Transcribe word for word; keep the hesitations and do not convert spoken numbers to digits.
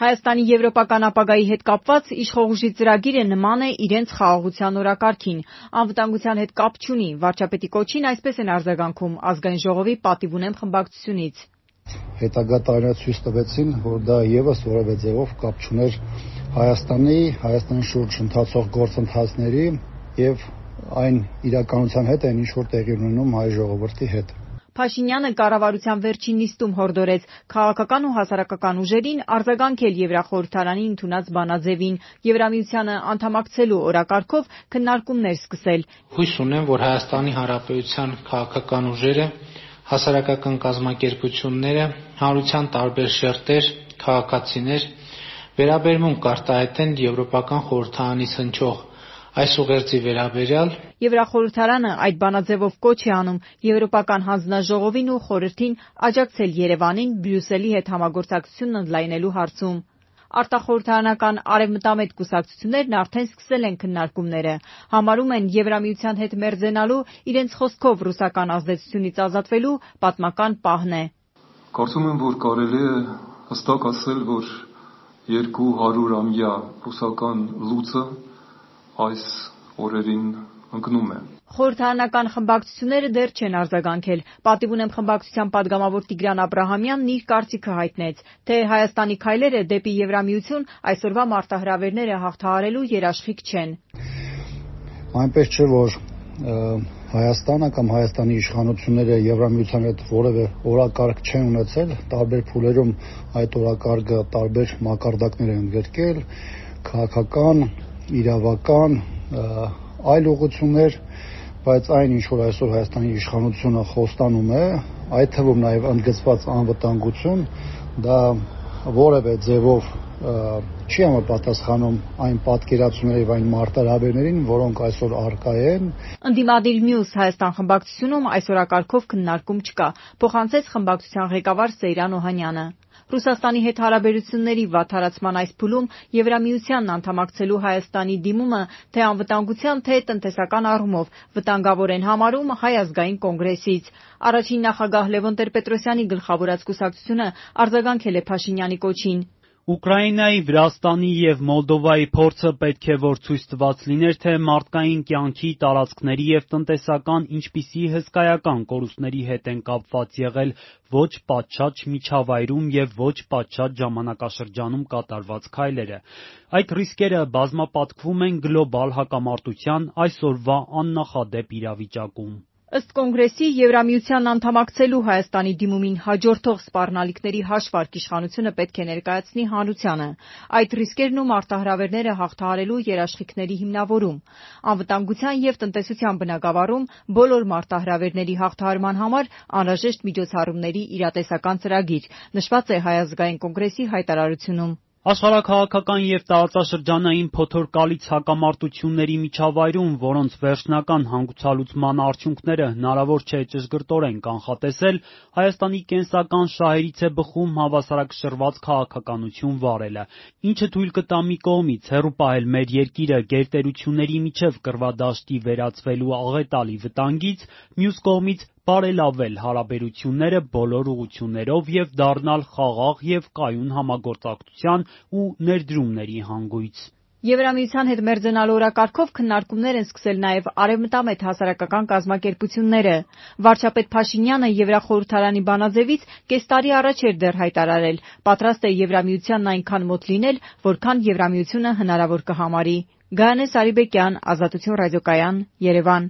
Հայաստանի եվրոպական ապագայի հետ կապված իշխող ուժի ծրագիրը նման է իրենց խաղաղության օրակարգին, անվտանգության հետ կապ չունի, վարչապետի կոչին այսպես են արձագանքում Ազգային ժողովի պատիվ ունեմ խմբակցությունից։ Հետագա տարիներ ցույց տվեցին, որ դա ևս որևէ ձևով կապ չուներ Հայաստանի, Հայաստանի շուրջ ընթացող գործընթացների եւ այն իրականության հետ, այն ինչ որ տեղի ունենում հայ ժողովրդի հետ։ Փաշինյանը կառավարության վերջին նիստում հորդորեց քաղաքական ու հասարակական ուժերին արձագանքել Եվրախորհրդարանի ընդունած բանաձևին, Եվրամիությանը անդամակցելու օրակարգով քննարկումներ սկսել։ Հույս ունեմ, որ Հայաստանի Հանրապետության քաղաքական ուժերը, հասարակական կազմակերպությունները, հանրության տարբեր շերտեր, քաղաքացիներ վերաբերմունք կարտահայտեն Եվրոպական խորհրդարանից հնչող այս ուղերձի վերաբերյալ։ Եվրախորհրդարանը այդ բանաձևով կոչ է անում Եվրոպական հանձնաժողովին ու խորհրդին աջակցել Երևանին Բրյուսելի հետ համագործակցությունն ընդլայնելու հարցում։ Արտախորհրդարանական արևմտամետ կուսակցություններն արդեն սկսել են քննարկումները, համարում են Եվրամիության հետ մերձենալու, իրենց խոսքով ռուսական ազդեցությունից ազատվելու պատմական պահն է։ Կարծում եմ, որ կարելի է հստակ ասել, որ երկու հարյուրամյա ռուսական լուծը այս օրերին ընկնում է։ Խորհրդարանական խմբակցությունները դեռ չեն արձագանքել։ Պատիվ ունեմ խմբակցության падգամավոր Տիգրան Աբրահամյանն իր կարծիքը հայտնեց, թե Հայաստանի քայլերը դեպի Եվրամիություն այսօրվա մարտահրավերները հաղթահարելու երաշխիք չեն։ Այնպես չէ, որ Հայաստանը կամ Հայաստանի իշխանությունները Եվրամիության հետ որևէ օրակարգ չեն ունեցել, տարբեր փուլերում այդ օրակարգը տարբեր մակարդակներ են ընդգրկել, քաղաքական, իրավական, այլ ուղղություններ, բայց այն ինչ որ այսօր Հայաստանի իշխանությունը խոստանում է, այդ թվում նաև ընդգծված անվտանգություն, դա որևէ ձևով չի համապատասխանում այն պատկերացումների եւ այն մարտահրավերներին, որոնք այսօր առկա են։ Ընդդիմադիր մյուս Հայաստան խմբակցությունում այս օրակարգով քննարկում չկա, փոխանցեց խմբակցության ղեկավար Սեյրան Օհանյանը։ Ռուսաստանի հետ հարաբերությունների վատթարացման այս փուլում Եվրամիությանն անդամակցելու Հայաստանի դիմումը թե անվտանգության, թե տնտեսական առումով վտանգավոր են համարում Հայ ազգային կոնգրեսից։ Առաջին նախագահ Լևոն Տեր-Պետրոսյանի գլխավորած կուսակցությունը արձագանքել է Փաշինյանի կոչին։ Ուկրաինայի, Վրաստանի և Մոլդովայի փորձը պետք է որ ցույց տված լիներ, թե մարդկային կյանքի, տարածքների և տնտեսական ինչպիսի հսկայական կորուստների հետ են կապված եղել ոչ պատշաճ միջավայրում և ոչ պատշաճ ժամանակաշրջանում կատարված քայլերը։ Այդ ռիսկերը բազմապատկվում են գլոբալ հակամարտության այսօրվա աննախադեպ իրավիճակում։ Ըստ կոնգրեսի, Եվրամիությանն անդամակցելու Հայաստանի դիմումին հաջորդող սպառնալիքների հաշվարկ իշխանությունը պետք է ներկայացնի հանրությանը, այդ ռիսկերն ու մարտահրավերները հաղթահարելու երաշխիքների հիմնավորում, անվտանգության և տնտեսության բնագավառում բոլոր մարտահրավերների հաղթահարման համար անհրաժեշտ միջոցառումների իրատեսական ծրագիր, նշված է Հայ ազգային կոնգրեսի հայտարարությունում։ Աշխարհաքաղաքական և տարածաշրջանային փոթորկալից հակամարտությունների միջավայրում, որոնց վերջնական հանգուցալուծման արդյունքները հնարավոր չէ ճշգրտորեն կանխատեսել, Հայաստանի կենսական շահերից է բխում հավասարակշռված քաղաքականություն վարելը, ինչը թույլ կտա մի կողմից հեռու պահել մեր երկիրը գերտերությունների միջև կռվադաշտի վերածվելու աղետալի վտանգից, մյուս կողմից բարելավել հարաբերությունները բոլոր ուղղություններով և դառնալ խաղաղ և կայուն համագործակցության ու ներդրումների հանգույց։ Եվրամիության հետ մերձենալու օրակարգով քննարկումներ են սկսել նաև արևմտամետ հասարակական կազմակերպությունները։ Վարչապետ Փաշինյանը Եվրախորհրդարանի բանաձևից կես տարի առաջ էր դեռ հայտարարել, պատրաստ է Եվրամիությանն այնքան մոտ լինել, որքան Եվրամիությունը հնարավոր կհամարի։ Գայանե Սարիբեկյան, Ազատություն ռադիոկայան, Երևան։